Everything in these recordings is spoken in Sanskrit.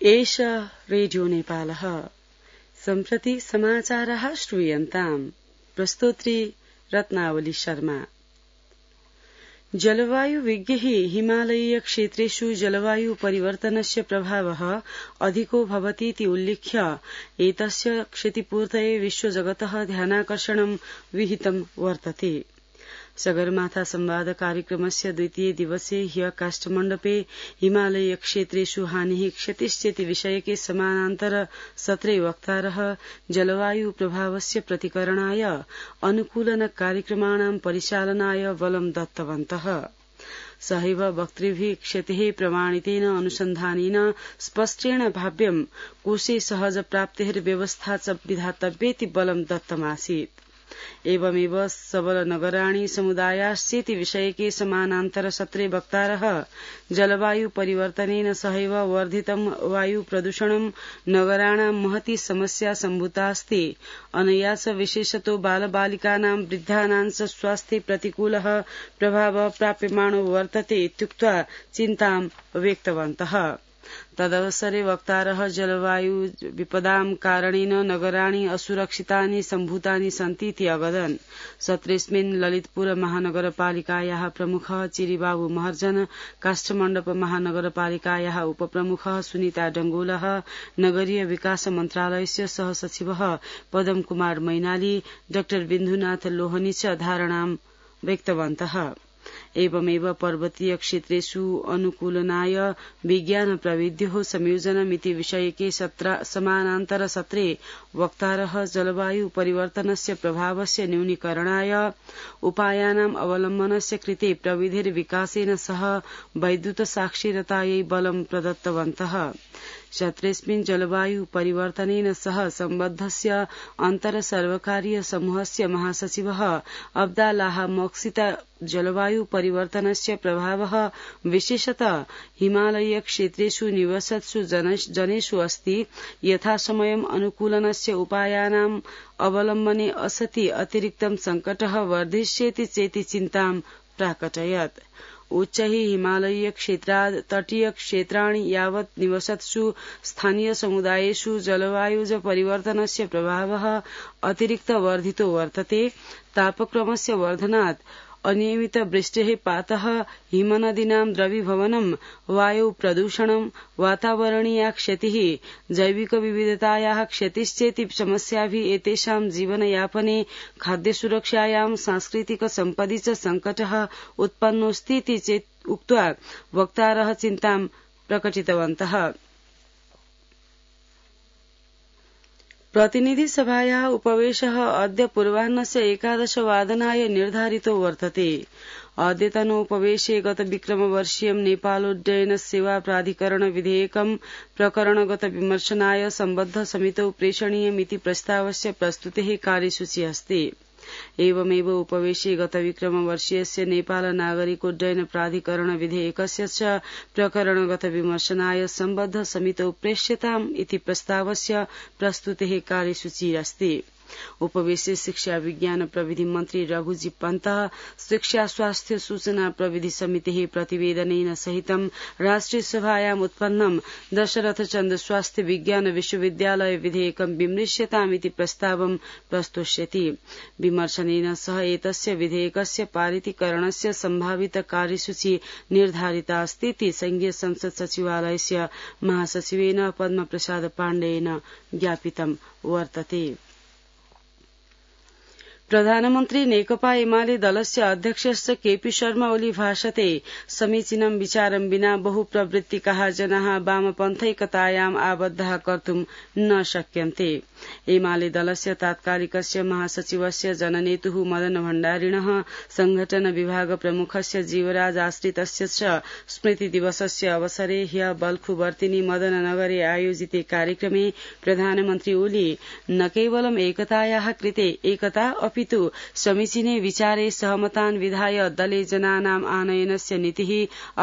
एष रेडियो नेपालः सम्प्रति समाचारः श्रूयन्ताम् प्रस्तोत्री रत्नावली शर्मा। जलवायु विज्ञैः हिमालयीय क्षेत्रेषु जलवायु परिवर्तनस्य प्रभावः अधिको भवतीति उल्लिख्य एतस्य क्षतिपूर्तये विश्वजगतः ध्यानाकर्षणं विहितं वर्तते। सगरमाथा संवाद कार्यक्रमस्य द्वितीय दिवसे ह्य काष्ठमण्डपे हिमालयीय क्षेत्रेषु हानिः क्षतिश्चेति विषयके समानान्तर सत्रे वक्तारः जलवायु प्रभावस्य प्रतिकरणाय अनुकूलन कार्यक्रमाणां परिचालनाय बलं दत्तवन्तः। सहैव वक्तृभिः क्षतेः प्रमाणितेन अनुसन्धानेन स्पष्टेन भाव्यं कोशे सहज प्राप्तेर्व्यवस्था च विधातव्येति बलं दत्तमासीत्। एवमेव सबल नगराणि समुदायाश्चेति विषयके समानान्तर सत्रे वक्तारः जलवायु परिवर्तनेन सहैव वर्धितं वायु प्रदूषणं नगराणां महती समस्या सम्भूतास्ति। अनया च विशेषतो बालबालिकानां वृद्धानां च स्वास्थ्ये प्रतिकूलः प्रभावः प्राप्यमाणो वर्तते इत्युक्त्वा चिन्तां व्यक्तवन्तः। तदवसरे वक्तारः जलवायु विपदां कारणेन नगराणि असुरक्षितानि सम्भूतानि सन्तीति अवदन्। सत्रेऽस्मिन् ललितपुर महानगरपालिकायाः प्रमुखः चिरिबाबु महर्जन, काष्ठमण्डप महानगरपालिकायाः उपप्रमुखः सुनीता डंगोलः, नगरीय विकास मन्त्रालयस्य सहसचिवः पदम कुमार मैनाली, डाक्टर बिन्दुनाथ लोहनी च धारणां व्यक्तवन्तः। एवमेव पर्वतीय क्षेत्रेषु अनुकूलनाय विज्ञान प्रविध्योः संयोजनमिति विषयके समानान्तर सत्रे वक्तारः जलवायु परिवर्तनस्य प्रभावस्य न्यूनीकरणाय उपायानाम् अवलम्बनस्य कृते प्रविधिर्विकासेन सह वैद्युत साक्षरतायै बलं प्रदत्तवन्तः। सत्रेऽस्मिन् जलवायु परिवर्तनेन सह सम्बद्धस्य अन्तर सर्वकारीय समूहस्य महासचिवः अब्दाल्लाह मोक्सिता जलवायु परिवर्तनस्य प्रभावः विशेषतः हिमालयीय क्षेत्रेषु निवसत्सु जनेषु अस्ति। यथासमयम् अनुकूलनस्य उपायानाम् अवलम्बने असति अतिरिक्तं संकटः वर्धिष्यति चेति चिन्तां प्राकटयत्। उच्चैः हिमालयीय क्षेत्राद् तटीय क्षेत्राणि यावत् निवसत्सु स्थानीय समुदायेषु जलवायुज परिवर्तनस्य प्रभावः अतिरिक्त वर्धितो वर्तते। तापक्रमस्य वर्धनात् अनियमित वृष्टेः पातः, हिमनदीनां द्रवीभवनं, वायु प्रदूषणं, वातावरणीया क्षतिः, जैविक विविधतायाः क्षतिश्चेति समस्याभिः एतेषां जीवनयापने खाद्यसुरक्षायां सांस्कृतिक सम्पदि च संकटः उत्पन्नोऽस्तीति चेत् उक्त्वा वक्तारः चिन्तां प्रकटितवन्तः। प्रतिनिधिसभायाः उपवेशः अद्य पूर्वाह्नस्य 11:15 निर्धारितो वर्तते। अद्यतनोपवेशे गतविक्रमवर्षीयं नेपालोड्डयन सेवा प्राधिकरण विधेयकं प्रकरणगत विमर्शनाय सम्बद्ध समितौ प्रेषणीयमिति प्रस्तावस्य प्रस्तुतेः कार्यसूची अस्ति। एवमेव उपवेशे गतविक्रमवर्षीयस्य नेपाल नागरिकोड्डयन प्राधिकरण विधेयकस्य च प्रकरणगत विमर्शनाय सम्बद्ध समितौ प्रेष्यताम् इति प्रस्तावस्य प्रस्तुतेः कार्यसूची अस्ति। उपवेशे शिक्षा विज्ञान प्रविधि मन्त्री रघुजी पन्तः शिक्षा स्वास्थ्य सूचना प्रविधि समितेः प्रतिवेदनेन सहितं राष्ट्रिय सभायाम् उत्पन्नं दशरथचन्द्र स्वास्थ्य विज्ञान विश्वविद्यालय विधेयकं विमृश्यतामिति प्रस्तावं प्रस्तोष्यति। विमर्शनेन सह एतस्य विधेयकस्य पारितीकरणस्य सम्भावित कार्यसूची निर्धारिता अस्तीति संघीय संसद सचिवालयस्य महासचिवेन पद्मप्रसाद पाण्डेयेन ज्ञापितं वर्तते। प्रधानमन्त्री नेकपा एमाले दलस्य अध्यक्षश्च केपी शर्मा ओली भाषते समीचीनं विचारं विना बहुप्रवृत्तिकाः जनाः वामपन्थैकतायाम् आबद्धाः कर्तुं न शक्यन्ते। एमाले दलस्य तात्कालिकस्य महासचिवस्य जननेतुः मदन भण्डारिणः संघटन विभाग प्रमुखस्य जीवराज आश्रितस्य च स्मृति दिवसस्य अवसरे ह्य बल्खुवर्तिनी मदननगरे आयोजिते कार्यक्रमे प्रधानमन्त्री ओली न केवलम् एकतायाः कृते एकता अपितु समीचीने विचारे सहमतान् विधाय दले जनानाम् आनयनस्य नीतिः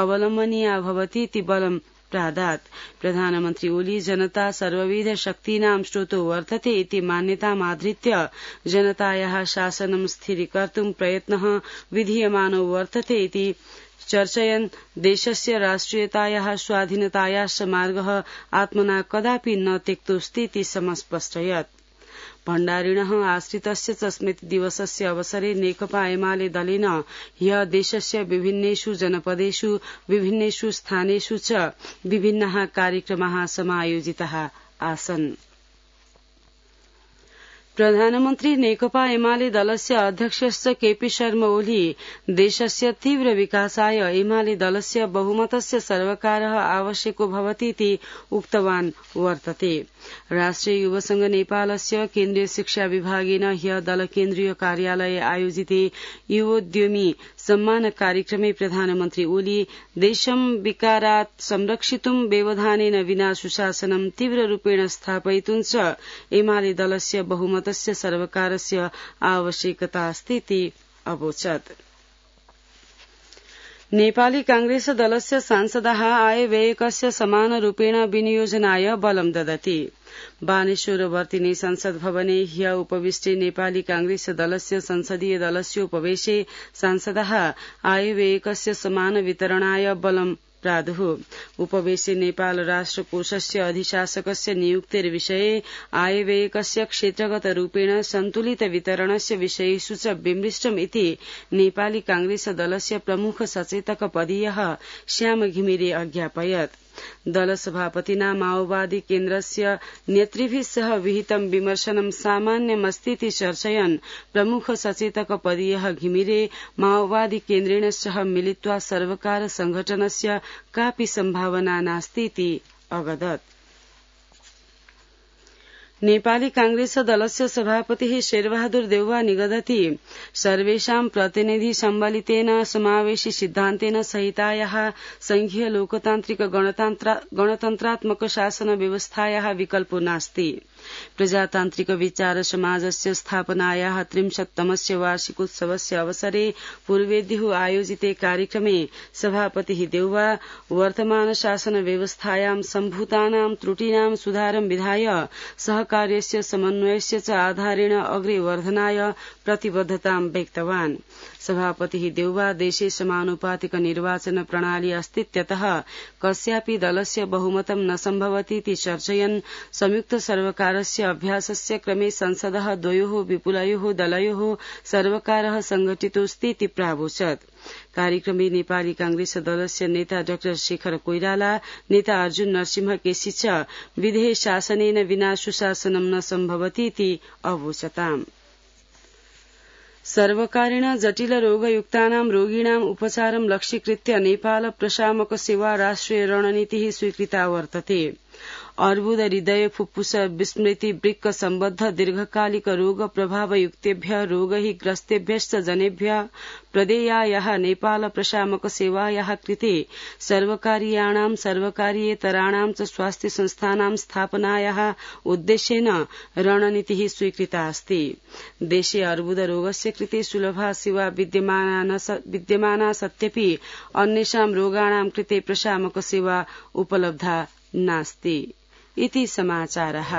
अवलम्बनीया भवतीति बलं प्रादात् प्रधानमन्त्री ओली जनता सर्वविध शक्तीनां स्रोतो वर्तते इति मान्यतामाधृत्य जनतायाः शासनं स्थिरीकर्तुं प्रयत्नः विधीयमानो वर्तते इति चर्चयन् देशस्य राष्ट्रियतायाः स्वाधीनतायाश्च मार्गः आत्मना कदापि न त्यक्तोऽस्ति इति समस्पष्टयत्। भण्डारिणः आश्रितस्य च स्मृतिदिवसस्य अवसरे नेकपा एमाले दलेन ह्यः देशस्य विभिन्नेषु जनपदेषु विभिन्नेषु स्थानेषु च विभिन्नाः कार्यक्रमाः समायोजिताः आसन्। प्रधानमन्त्री नेकपा एमाले दलस्य अध्यक्षश्च केपी शर्मा ओली देशस्य तीव्र विकासाय एमाले दलस्य बहुमतस्य सर्वकारः आवश्यको भवतीति उक्तवान् वर्तते। राष्ट्रिय युवसंघ नेपालस्य केन्द्रीय शिक्षा विभागेन ह्यः दल केन्द्रीय कार्यालये आयोजिते युवोद्यमी सम्मान कार्यक्रमे प्रधानमन्त्री ओली देशं विकारात् संरक्षितुं व्यवधानेन विना सुशासनं तीव्ररूपेण स्थापयितुं च एमाले दलस्य बहुमतस्य सर्वकारस्य आवश्यकता अस्ति इति अवोचत्। नेपाली कांग्रेस दलस्य सांसदाः आयव्ययकस्य समानरूपेण विनियोजनाय बलं ददति। बानेश्वरवर्तिनि संसद भवने ह्यः उपविष्टे नेपाली कांग्रेस दलस्य संसदीय दलस्योपवेशे सांसदाः आयव्ययकस्य समान वितरणाय बलं प्रादुः। उपवेशे नेपाल राष्ट्र कोषस्य अधिशासकस्य नियुक्तिर्विषये आयव्ययकस्य क्षेत्रगतरूपेण सन्तुलित वितरणस्य विषयेषु च विमृष्टम् इति नेपाली कांग्रेस दलस्य प्रमुख सचेतक पदीयः श्याम घिमिरे अज्ञापयत्। दल सभापतिना माओवादी केन्द्रस्य नेतृभिः सह विहितं विमर्शनं सामान्यमस्तीति चर्चयन् प्रमुख सचेतक पदीयः घिमिरे माओवादी केन्द्रेण सह मिलित्वा सर्वकार संघटनस्य कापि सम्भावना नास्तीति अवदत्। नेपाली कांग्रेस दलस्य सभापतिः शेरबहादुर देउवा निगदति सर्वेषां प्रतिनिधि सम्बलितेन समावेशी सिद्धान्तेन सहितायाः संघीय लोकतान्त्रिक गणतन्त्रात्मक शासन व्यवस्थायाः विकल्पो नास्ति। प्रजातान्त्रिक विचार समाजस्य स्थापनायाः 30तमस्य वार्षिकोत्सवस्य अवसरे पूर्वेद्युः आयोजिते कार्यक्रमे सभापतिः देउवा वर्तमान शासन व्यवस्थायां सम्भूतानां त्रुटीनां सुधारं विधाय सहकार्यस्य समन्वयस्य च आधारेण अग्रे वर्धनाय प्रतिबद्धतां व्यक्तवान्। सभापतिः देउवा देशे समानुपातिक निर्वाचन प्रणाली अस्तीत्यतः कस्यापि दलस्य बहुमतं न सम्भवतीति चर्चयन् संयुक्त सर्वकारस्य अभ्यासस्य क्रमे संसदः द्वयोः विपुलयोः दलयोः सर्वकारः संघटितोऽस्तीति प्रावोचत्। कार्यक्रमे नेपाली कांग्रेस दलस्य नेता डाक्टर शेखर कोइराला, नेता अर्जुन नरसिंह केसी च विधेय शासनेन विना सुशासनं न सम्भवतीति अवोचताम्। सर्वकारेण जटिल रोगयुक्तानां रोगिणाम् उपचारं लक्ष्यीकृत्य नेपाल प्रशामक सेवा राष्ट्रिय रणनीतिः स्वीकृता वर्तते। अर्बुद, हृदय, फुफ्फुस, विस्मृति, वृक्क सम्बद्ध दीर्घकालिक रोग प्रभावयुक्तेभ्यः रोगैः ग्रस्तेभ्यश्च जनेभ्यः प्रदेयायाः नेपाल प्रशामक सेवायाः कृते सर्वकारीयाणां सर्वकारीयेतराणां च स्वास्थ्य संस्थानां स्थापनायाः उद्देश्येन रणनीतिः स्वीकृता अस्ति। देशे अर्बुद रोगस्य कृते सुलभा सेवा विद्यमाना सत्यपि अन्येषां रोगाणां कृते प्रशामक सेवा उपलब्धा नास्ति इति समाचारः।